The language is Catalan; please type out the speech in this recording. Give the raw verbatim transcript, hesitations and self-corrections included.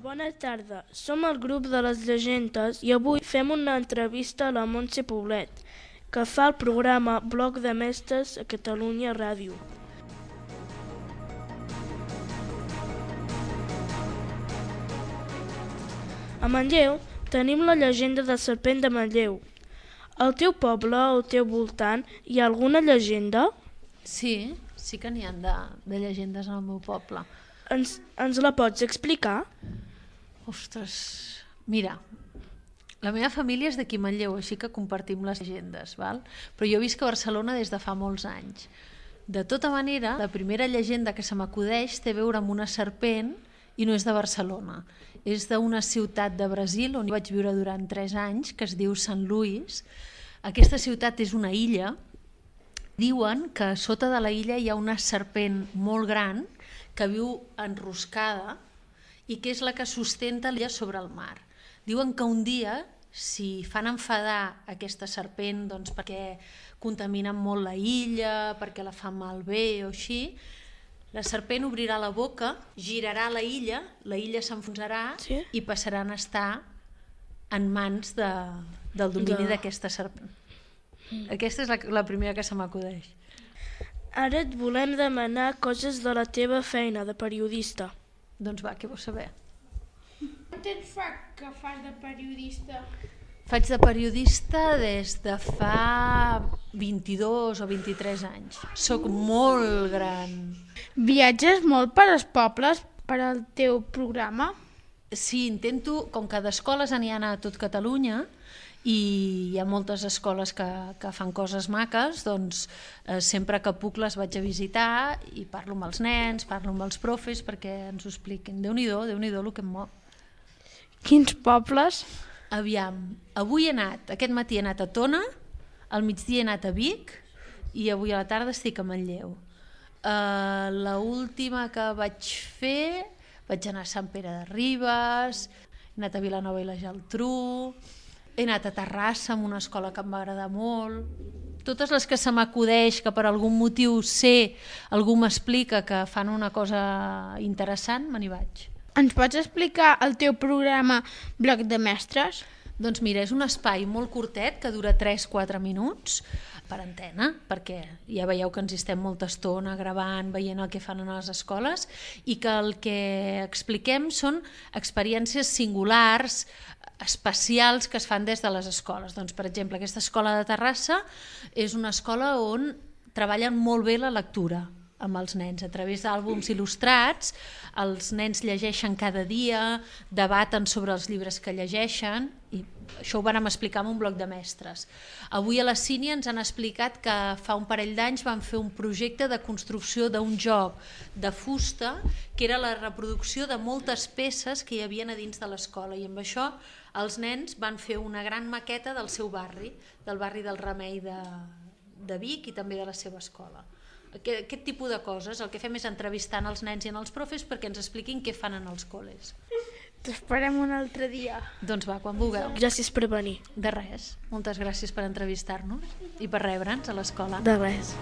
bona tarda. Som el grup de les llegendes i avui fem una entrevista a la Montse Poblet, que fa el programa Bloc de Mestres a Catalunya Ràdio. A Manlleu tenim la llegenda del serpent de Manlleu. Al teu poble, al teu voltant, hi ha alguna llegenda? Sí, sí que n'hi ha de, de llegendes en el meu poble. Ens, ens la pots explicar? Ostres, mira, la meva família és d'aquí Manlleu, així que compartim les llegendes, val? Però jo visc a Barcelona des de fa molts anys. De tota manera, la primera llegenda que se m'acudeix té a veure amb una serpent i no és de Barcelona. És d'una ciutat de Brasil on vaig viure durant tres anys, que es diu Sant Luís. Aquesta ciutat és una illa. Diuen que sota de la illa hi ha una serpent molt gran que viu enroscada i que és la que sustenta l'illa sobre el mar. Diuen que un dia, si fan enfadar aquesta serpent doncs perquè contaminen molt la illa, perquè la fan malbé o així, la serpent obrirà la boca, girarà la illa, la illa s'enfonsarà Sí. i passaran a estar en mans de, del domini De- d'aquesta serpent. Aquesta és la, la primera que se m'acudeix. Ara et volem demanar coses de la teva feina de periodista. Doncs va, què vols saber? Quant temps fa que fas de periodista? Faig de periodista des de fa vint-i-dos o vint-i-tres anys. Soc molt gran. Viatges molt per als pobles per al teu programa? Sí, intento, com que d'escoles n'hi ha a tot Catalunya i hi ha moltes escoles que, que fan coses maques, doncs eh, sempre que puc les vaig a visitar i parlo amb els nens, parlo amb els profes perquè ens ho expliquin. Déu-n'hi-do, Déu-n'hi-do el que em mou. Quins pobles? Aviam, avui he anat, aquest matí he anat a Tona, al migdia he anat a Vic i avui a la tarda estic a Manlleu. Uh, L'última que vaig fer, vaig anar a Sant Pere de Ribes, he anat a Vilanova i la Geltrú, he anat a Terrassa amb una escola que em va agradar molt. Totes les que se m'acudeix, que per algun motiu sé, algú m'explica que fan una cosa interessant, me n'hi vaig. Ens pots explicar el teu programa Bloc de Mestres? Doncs mira, és un espai molt curtet que dura tres a quatre minuts per antena, perquè ja veieu que ens hi estem molta estona gravant, veient el que fan a les escoles i que el que expliquem són experiències singulars, especials que es fan des de les escoles. Doncs, per exemple, aquesta escola de Terrassa és una escola on treballen molt bé la lectura amb els nens. A través d'àlbums il·lustrats, els nens llegeixen cada dia, debaten sobre els llibres que llegeixen, i això ho vàrem explicar en un bloc de mestres. Avui a la Sínia ens han explicat que fa un parell d'anys van fer un projecte de construcció d'un joc de fusta, que era la reproducció de moltes peces que hi havia a dins de l'escola, i amb això els nens van fer una gran maqueta del seu barri, del barri del Remei de, de Vic i també de la seva escola. Aquest, aquest tipus de coses, el que fem és entrevistar els nens i els profes perquè ens expliquin què fan en els col·les. T'esperem un altre dia. Doncs va, quan vulgueu. Gràcies per venir. De res. Moltes gràcies per entrevistar-nos i per rebre'ns a l'escola. De res.